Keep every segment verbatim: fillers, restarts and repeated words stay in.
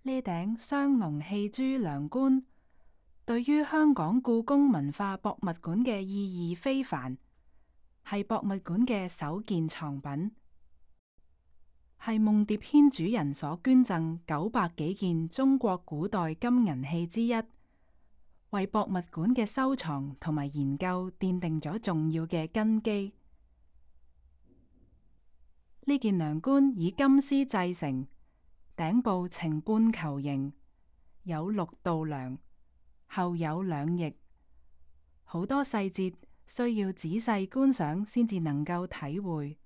呢頂雙龍戲珠梁冠，對於香港故宮文化博物館嘅意義非凡，係博物館嘅首件藏品，係夢蝶軒主人所捐贈九百幾件中國古代金銀器之一，為博物館嘅收藏同埋研究奠定咗重要嘅根基。呢件梁冠以金絲製成，頂部呈半球形，有六道梁，後有兩翼，好多細節需要仔細觀賞先至能夠體會。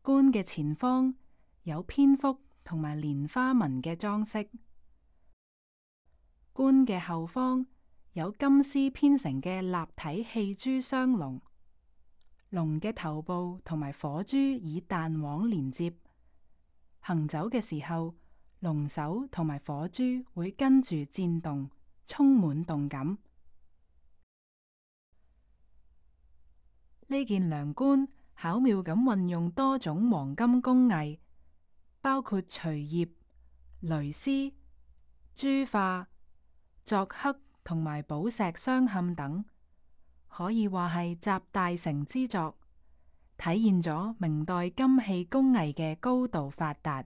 冠嘅前方有蝙蝠同埋蓮花紋嘅裝飾，冠嘅後方有金絲編成嘅立體戲珠雙龍。龍嘅頭部同埋火珠以彈簧連接，行走嘅時候，龍首同埋火珠會跟住顫動，充滿動感。呢件梁冠巧妙咁運用多種黃金工藝，包括錘葉、鐳絲、珠化、鑿刻同埋寶石鑲嵌等。可以話係集大成之作，體現咗明代金器工藝嘅高度發達。